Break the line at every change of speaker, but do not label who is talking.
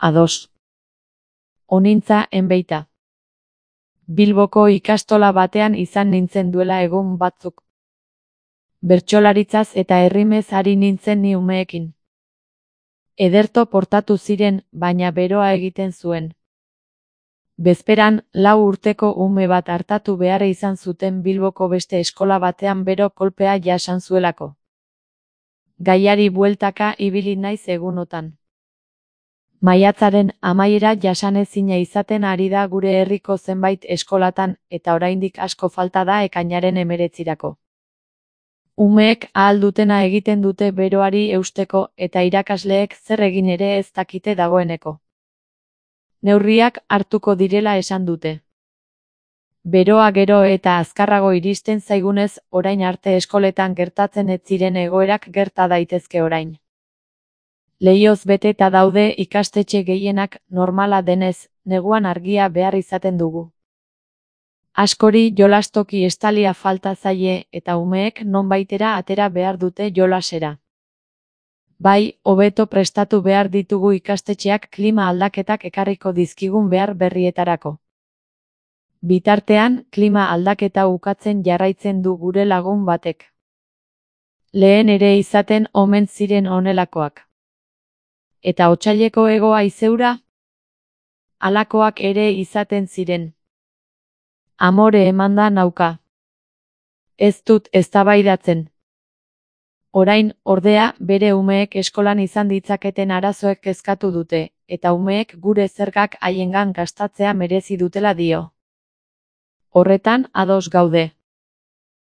Ados. Onintza enbeita. Bilboko ikastola batean izan nintzen duela egun batzuk. Bertsolaritzaz eta errimez ari nintzen ni umeekin. Ederto portatu ziren, baina beroa egiten zuen. Bezperan, 4 urteko ume bat artatu behar izan zuten Bilboko beste eskola batean bero kolpea jasan zuelako. Gaiari bueltaka ibili naiz egunotan. Maiatzaren amaiera jasanezina izaten ari da gure herriko zenbait eskolatan eta oraindik asko falta da ekainaren 19. Umeek ahal dutena egiten dute beroari eusteko eta irakasleek zer egin ere ez dakite dagoeneko. Neurriak hartuko direla esan dute. Beroa gero eta azkarrago iristen zaigunez, orain arte eskoletan gertatzen ez ziren egoerak gerta daitezke orain. Leihoz beteta daude ikastetxe gehienak, normala denez, neguan argia behar izaten dugu. Askori jolastoki estalia falta zaie eta umeek nonbaitera atera behar dute jolasera. Bai, hobeto prestatu behar ditugu ikastetxeak klima aldaketak ekarriko dizkigun behar berrietarako. Bitartean, klima aldaketa ukatzen jarraitzen du gure lagun batek. Lehen ere izaten omen ziren honelakoak. Eta otsaileko hego haizeura? Halakoak ere izaten ziren. Amore emanda nauka. Ez dut eztabaidatzen. Orain, ordea, bere umeek eskolan izan ditzaketen arazoek kezkatu dute, eta umeek gure zergak haiengan gastatzea merezi dutela dio. Horretan ados gaude.